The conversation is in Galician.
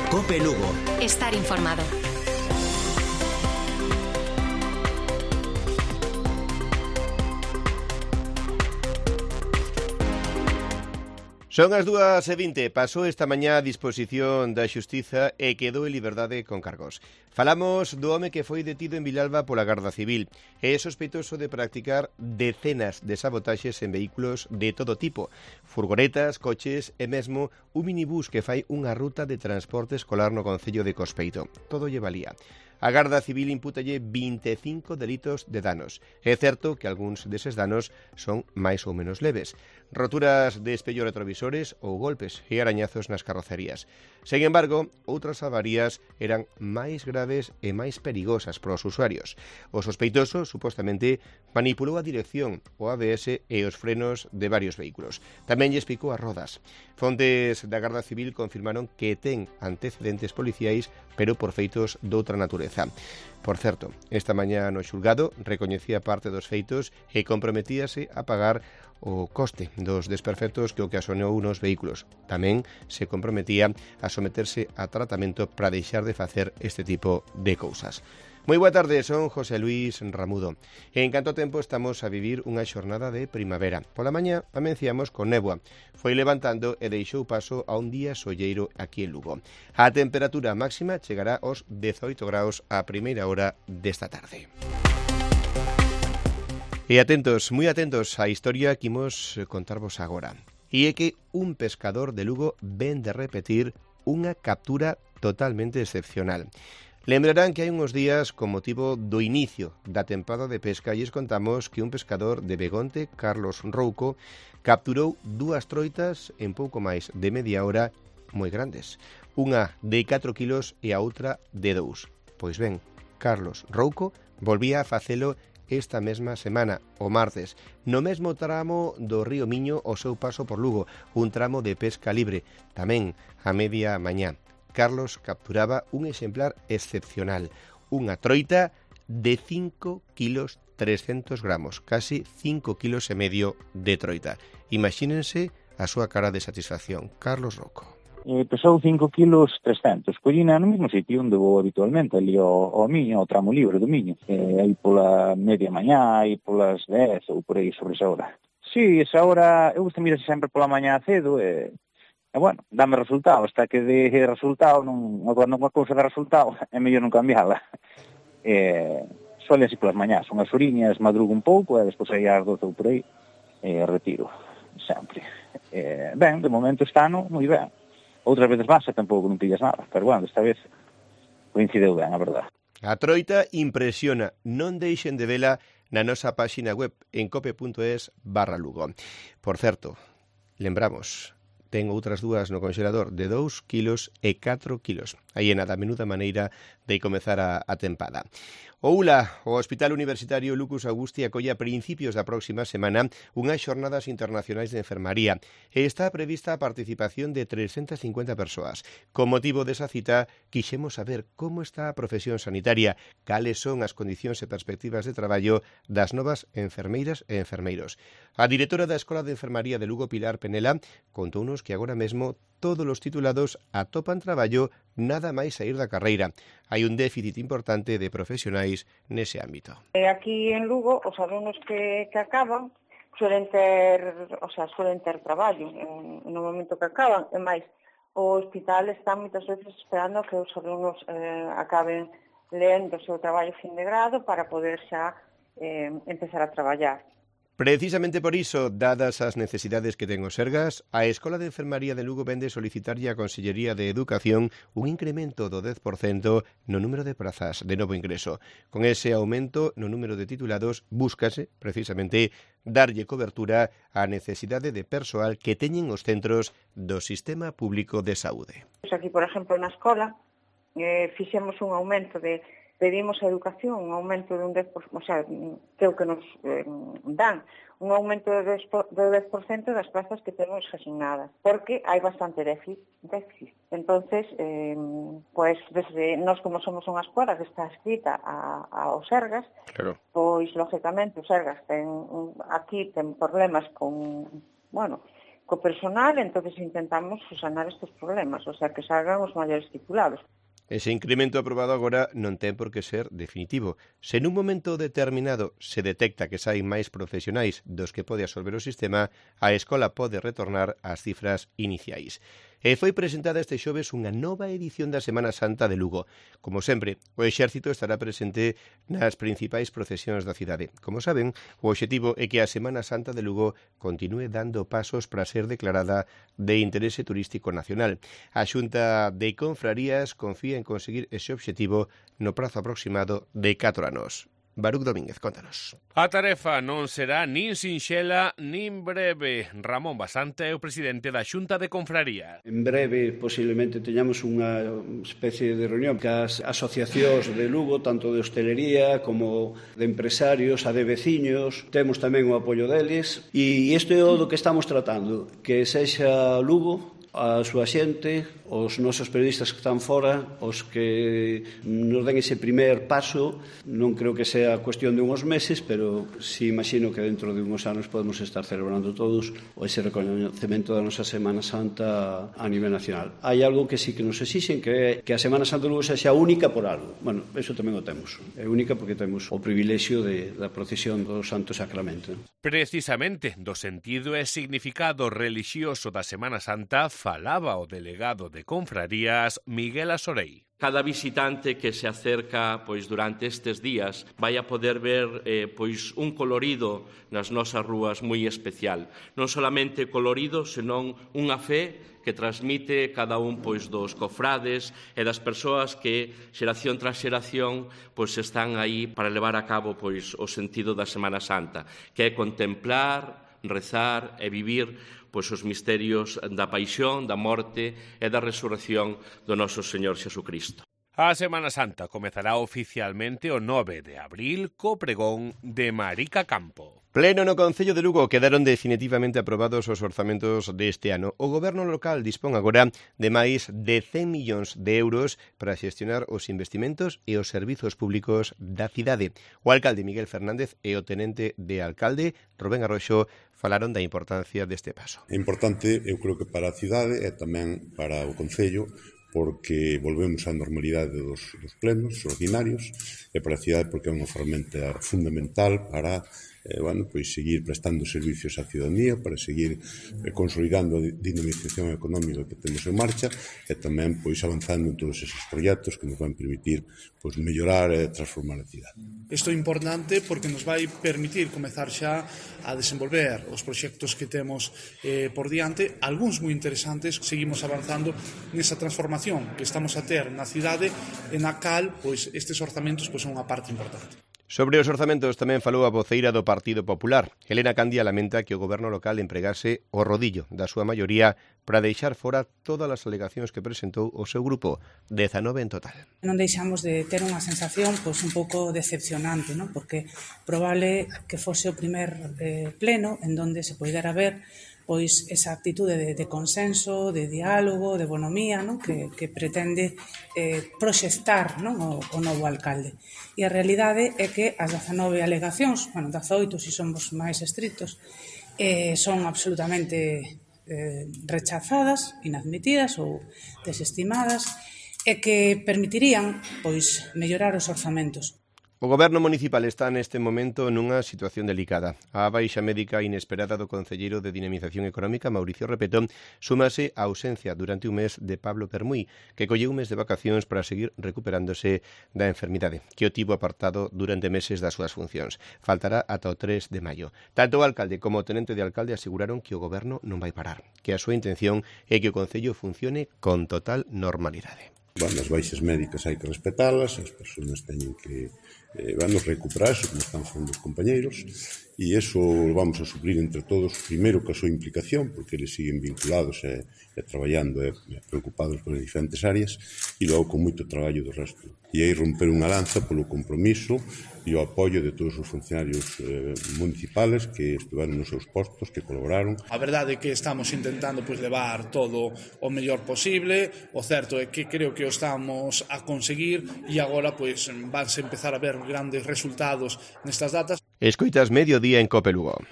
COPE Lugo. Estar informado. Son as 2:20, pasou esta mañá a disposición da Xustiza e quedou en liberdade con cargos. Falamos do home que foi detido en Vilalba pola Garda Civil. É sospeitoso de practicar decenas de sabotaxes en vehículos de todo tipo, furgonetas, coches e mesmo un minibús que fai unha ruta de transporte escolar no concello de Cospeito. Todo lle valía. A Garda Civil impútalle 25 delitos de danos. É certo que algúns deses danos son máis ou menos leves. Roturas de espello retrovisores ou golpes e arañazos nas carrocerías. Sen embargo, outras avarías eran máis graves e máis perigosas para os usuarios. O sospeitoso, supostamente, manipulou a dirección, o ABS e os frenos de varios vehículos. Tamén lle explicou as rodas. Fontes da Garda Civil confirmaron que ten antecedentes policiais, pero por feitos doutra natureza. Por certo, esta mañá no xulgado recoñecía parte dos feitos e comprometíase a pagar o coste dos desperfectos que ocasionou nos vehículos. Tamén se comprometía a someterse a tratamento para deixar de facer este tipo de cousas. Moi boa tarde, son José Luis Ramudo. En canto tempo estamos a vivir unha xornada de primavera. Pola mañá amenciamos con néboa. Foi levantando e deixou paso a un día solleiro aquí en Lugo. A temperatura máxima chegará aos 18 graus a primeira hora desta tarde. E atentos, moi atentos á historia que imos contarvos agora. E é que un pescador de Lugo ven de repetir unha captura totalmente excepcional. Lembrarán que hai uns días, con motivo do inicio da tempada de pesca, lles contamos que un pescador de Begonte, Carlos Rouco, capturou 2 troitas en pouco máis de media hora moi grandes. Unha de 4 kilos e a outra de 2. Pois ben, Carlos Rouco volvía a facelo esta mesma semana, o martes, no mesmo tramo do río Miño ao seu paso por Lugo, un tramo de pesca libre, tamén a media mañá. Carlos capturaba un exemplar excepcional, unha troita de 5 kilos 300 gramos, casi 5 kilos e medio de troita. Imagínense a súa cara de satisfacción. Carlos Rouco. Pesou 5 kilos 300. Collina no mesmo sitio onde vou habitualmente, ali ao Miño, ao tramo libre do Miño. Aí pola media mañá, aí polas 10 ou por aí sobre esa hora. Sí, esa hora, eu gusto mirarse sempre pola mañá cedo e bueno, dame resultado, hasta que de resultado, cando unha cousa dá resultado, é mellor non cambiala. Suele así polas mañás, unhas horiñas, madrugo un pouco, e despois aí ás 12 ou por aí, retiro, sempre. Ben, de momento este ano, moi ben. Outras veces vas e tampouco non pillas nada, pero bueno, desta vez coincideu ben, a verdade. A troita impresiona, non deixen de vela na nosa páxina web en cope.es/Lugo. Por certo, lembramos, ten outras 2 no congelador de 2 kilos e 4 kilos. Aí é nada, menuda maneira de comezar a tempada. O ULA, o Hospital Universitario Lucas Augusti, acolle a principios da próxima semana unhas xornadas internacionais de enfermaría e está prevista a participación de 350 persoas. Con motivo desa cita, quixemos saber como está a profesión sanitaria, cales son as condicións e perspectivas de traballo das novas enfermeiras e enfermeiros. A directora da Escola de Enfermaría de Lugo, Pilar Penela, contounos que agora mesmo todos os titulados atopan traballo nada máis saír da carreira. Hai un déficit importante de profesionais nese ámbito. Aquí en Lugo, os alumnos que acaban suelen ter traballo no momento que acaban, e máis, o hospital está moitas veces esperando que os alumnos acaben lendo o seu traballo fin de grado para poder xa empezar a traballar. Precisamente por iso, dadas as necesidades que ten o Sergas, a Escola de Enfermaría de Lugo vende solicitarlle á Consellería de Educación un incremento do 10% no número de prazas de novo ingreso. Con ese aumento no número de titulados, búscase, precisamente, darlle cobertura á necesidade de persoal que teñen os centros do Sistema Público de Saúde. Aquí, por exemplo, na escola, fixemos un aumento pedimos a educación un aumento de un 10%, o sea, que o que nos dan, un aumento do 10% das plazas que temos asignadas, porque hai bastante déficit. Entonces, pues, desde nós como somos unha escola que está escrita ao Sergas, claro, pois, lógicamente, o Sergas aquí ten problemas con co personal, entonces intentamos sanar estes problemas, o sea, que salgan os maiores titulados. Ese incremento aprobado agora non ten por que ser definitivo. Se nun momento determinado se detecta que saen máis profesionais dos que pode absorber o sistema, a escola pode retornar ás cifras iniciais. E foi presentada este xoves unha nova edición da Semana Santa de Lugo. Como sempre, o Exército estará presente nas principais procesións da cidade. Como saben, o obxectivo é que a Semana Santa de Lugo continúe dando pasos para ser declarada de interese turístico nacional. A Xunta de Confrarías confía en conseguir ese obxectivo no prazo aproximado de 4 anos. Baruch Domínguez, contanos. A tarefa non será nin sinxela nin breve. Ramón Basanta é o presidente da Xunta de Confraría. En breve, posiblemente, teñamos unha especie de reunión cas asociacións de Lugo, tanto de hostelería como de empresarios, a de veciños. Temos tamén o apoio deles. E isto é o do que estamos tratando, que sexa Lugo, a súa xente, os nosos periodistas que están fora, os que nos den ese primer paso. Non creo que sea cuestión de uns meses, pero sí imagino que dentro de uns anos podemos estar celebrando todos ese reconhecemento da nosa Semana Santa a nivel nacional. Hai algo que sí que nos exixen, que é que a Semana Santa de Lugo sexa única por algo. Bueno, eso tamén o temos. É única porque temos o privilexio da procesión do Santo Sacramento. Precisamente do sentido e significado relixioso da Semana Santa falaba o delegado de Confrarías, Miguel Asorei. Cada visitante que se acerca durante estes días vai a poder ver un colorido nas nosas rúas moi especial. Non solamente colorido, senón unha fe que transmite cada un dos cofrades e das persoas que xeración tras xeración están aí para levar a cabo o sentido da Semana Santa, que é contemplar, rezar e vivir os misterios da paixón, da morte e da resurrección do noso Señor Xesucristo. A Semana Santa comezará oficialmente o 9 de abril co pregón de Marica Campo. Pleno no Concello de Lugo, quedaron definitivamente aprobados os orzamentos deste ano. O goberno local dispón agora de máis de 100 millóns de euros para xestionar os investimentos e os servizos públicos da cidade. O alcalde Miguel Fernández e o tenente de alcalde Rubén Arroxo falaron da importancia deste paso. É importante, eu creo que para a cidade e tamén para o Concello, porque volvemos á normalidade dos plenos ordinarios, e para a cidade porque é unha ferramenta fundamental para seguir prestando servicios á ciudadanía, para seguir consolidando a dinamización económica que temos en marcha e tamén avanzando en todos esos proxectos que nos van permitir mellorar e transformar a cidade. Isto é importante porque nos vai permitir comezar xa a desenvolver os proxectos que temos por diante, algúns moi interesantes. Seguimos avanzando nesa transformación que estamos a ter na cidade e na cal estes orzamentos son unha parte importante. Sobre os orzamentos tamén falou a voceira do Partido Popular. Helena Candia lamenta que o goberno local empregase o rodillo da súa maioría para deixar fora todas as alegacións que presentou o seu grupo, 19 en total. Non deixamos de ter unha sensación un pouco decepcionante, non? Porque probable que fose o primer pleno en donde se poidera ver esa actitude de consenso, de diálogo, de bonomía, non? Que pretende proxectar, non? o novo alcalde. E a realidade é que as 19 alegacións, 18 se somos máis estritos, son absolutamente rechazadas, inadmitidas ou desestimadas, e que permitirían mellorar os orzamentos. O goberno municipal está neste momento nunha situación delicada. A baixa médica inesperada do concelleiro de Dinamización Económica, Mauricio Repetón, súmase a ausencia durante un mes de Pablo Permuy, que colleu un mes de vacacións para seguir recuperándose da enfermidade, que o tivo apartado durante meses das súas funcións. Faltará ata o 3 de maio. Tanto o alcalde como o tenente de alcalde aseguraron que o goberno non vai parar, que a súa intención é que o concello funcione con total normalidade. As baixas médicas hai que respetalas, as persoas teñen que recuperarse, como están facendo os compañeiros, e iso vamos a suplir entre todos, primeiro ca súa implicación, porque eles siguen vinculados e traballando e preocupados con as diferentes áreas, e logo con moito traballo do resto. E aí romper unha lanza polo compromiso e o apoio de todos os funcionarios municipales que estiveron nos seus postos, que colaboraron. A verdade é que estamos intentando levar todo o mellor posible. O certo é que creo que o estamos a conseguir e agora vanse empezar a ver grandes resultados nestas datas. Escoitas Mediodía en Cope Lugo.